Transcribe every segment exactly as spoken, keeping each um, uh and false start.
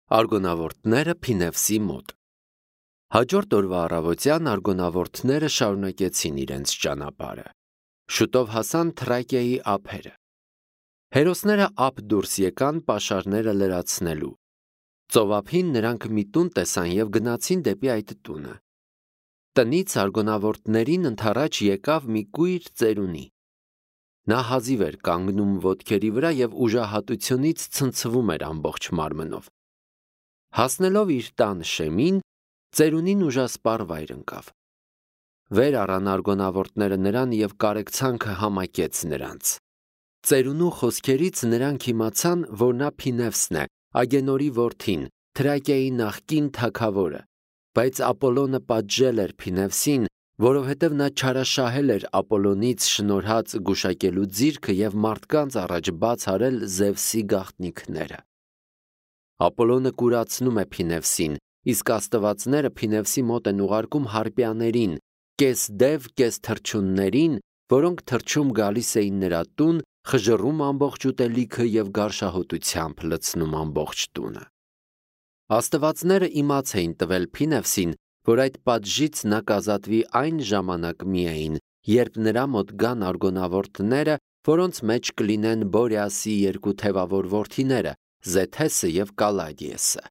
Արգոնավորդները Փինևսի մոտ։ Հաջորդ օրվա առավոտյան արգոնավորդները շարունակեցին իրենց ճանապարհը։ Շուտով հասան Թրակիայի ափերը։ Հերոսները ափ դուրս եկան պաշարները լրացնելու։ Ծովափին նրանք մի տուն տեսան և գնացին դեպի այդ տունը։ Տնից արգոնավորդներին ընդառաջ եկավ մի կույր ծերունի։ Նա հազիվ էր կանգնում ոտքերի վրա և ուժահատությունից ցնցվում էր ամբողջ մարմնով։ Հասնելով իր տան շեմին, ծերունին ուժասպառ վայր ընկավ։ Վեր առան արգոնավորդները նրան և կարեկցանքը համակեց նրանց։ Ծերունու խոսքերից նրանք իմացան, որ նա Փինևսն է, Ագենորի որդին, Թրակիայի նախկին թագավորը, բայց Ապոլոնը պատժել էր Փինևսին, որովհետև նա չարաշահել էր Ապոլոնից շնորհած գուշակելու ձիրքը և մարդկանց առաջ բաց արել Զևսի գաղտնիքները։ Ապոլոնը կուրացնում է Փինևսին, իսկ աստվածները Փինևսի մոտ են ուղարկում հարպիաներին, կես դև, կես թռչուններին, որոնք թռչում գալիս էին նրա տուն, խժռում ամբողջ ուտելիքը և գարշահոտությամբ լցնում ամբողջ տունը։ Աստվածները իմաց էին տվել Փինևսին, որ այդ պատժից նա կազատվի այն ժամանակ միայն, երբ նրա մոտ գան արգոնավորդները, որոնց մեջ կլինեն Բորեասի երկու թևավոր որդիները՝ Զեթեսը և Կալադիեսը։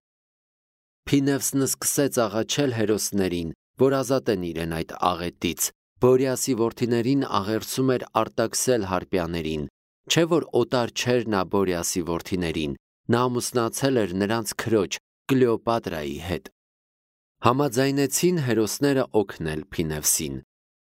Փինևսն սկսեց աղաչել հերոսներին, որ ազատեն իրեն այդ աղետից։ Բորեասի որդիներին աղերսում էր արտաքսել հարպիաներին, չէ՞ որ օտար չէր նա Բորեասի որդիներին, նա ամուսնացել էր նրանց քրոջ Կլեոպատրայի հետ։ Համաձայնեցին հերոսները օգնել Փինևսին։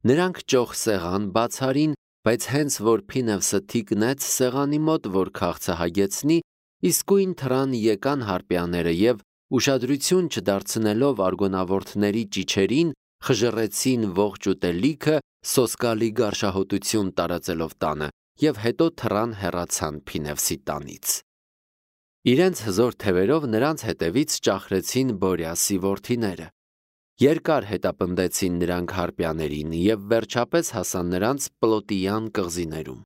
Նրանք ճոխ սեղան բաց արին, բայց հենց որ Փինևսը թիկնեց սեղանի մոտ, որ քաղցը հագեցնի, իսկույն թռան եկան հարպիաները և, ուշադրություն չդարձնելով արգոնավորդների ճիչերին, խժռեցին ողջ ուտելիքը, սոսկալի գարշահոտություն տարածելով տանը, և հետո թռան հեռացան Փինևսի տանից։ Իրենց հզոր թևերով նրանց հետևից ճախրեցին Բորեասի որդիները։ Երկար հետապնդեցին նրանք հարպիաներին և վերջապես հասան նրանց Պլոտիյան կղզիներում։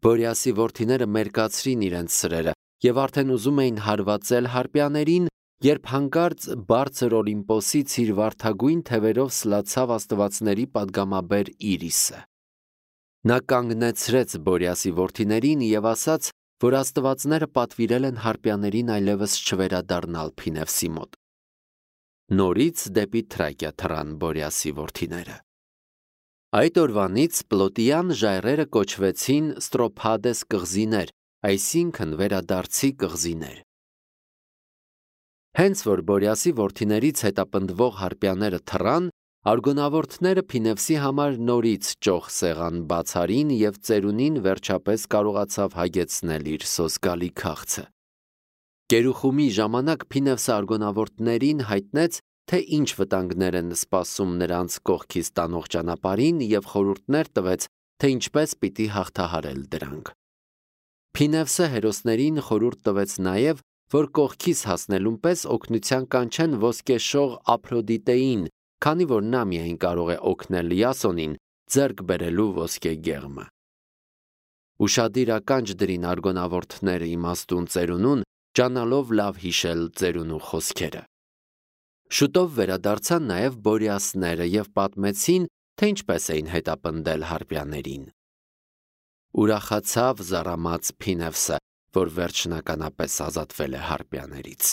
Բորեասի որդիները մերկացրին իրենց սրերը և արդեն ուզում էին հարվածել հարպիաներին, երբ հանկարծ բարձր Օլիմպոսից իր վարդագույն թևերով սլացավ աստվածների պատգամաբեր Իրիսը։ Նա կանգնեցրեց Բորեասի որդիներին և ասաց, որ աստվածները պատվիրել են հարպիաներին այլևս չվերադառնալ Փինևսի մոտ։ Նորից դեպի Թրակիա թռան Բորեասի որդիները։ Այդ օրվանից Պլոտիյան ժայռերը կոչվեցին Ստրոփադես կղզիներ, այսինքն վերադարձի կղզիներ։ Հենց որ Բորեասի որդիներից հետապնդվող հարպիաները թռան, արգոնավորդները Փինևսի համար նորից ճոխ սեղան բաց արին և ծերունին վերջապես կարողացավ հագեցնել իր սոսկալի քաղցը։ Կերուխումի ժամանակ Փինևսը արգոնավորդներին հայտնեց, թե ինչ վտանգներ են սպասում նրանց կողքից տանող ճանապարհին և խորհուրդներ տվեց, թե ինչպես պիտի հաղթահարել դրանք։ Փինևսը հերոսներին խորհուրդ տվեց նաև, որ կողքից հասնելուն պես օգնության կանչեն ոսկեշող Ափրոդիտեին, քանի որ նա միայն կարող է օգնել Յասոնին ձեռք բերելու ոսկե գեղմը։ Ուշադիր ականջ դրին արգոնավորդները իմաստուն ծերունուն, ջանալով լավ հիշել ծերունու խոսքերը։ Շուտով վերադարձան նաև Բորեասները և պատմեցին, թե ինչպես էին հետապնդել հարպիաներին։ Ուրախացավ զարամած Փինևսը, որ վերջնականապես ազատվել է հարպիաներից։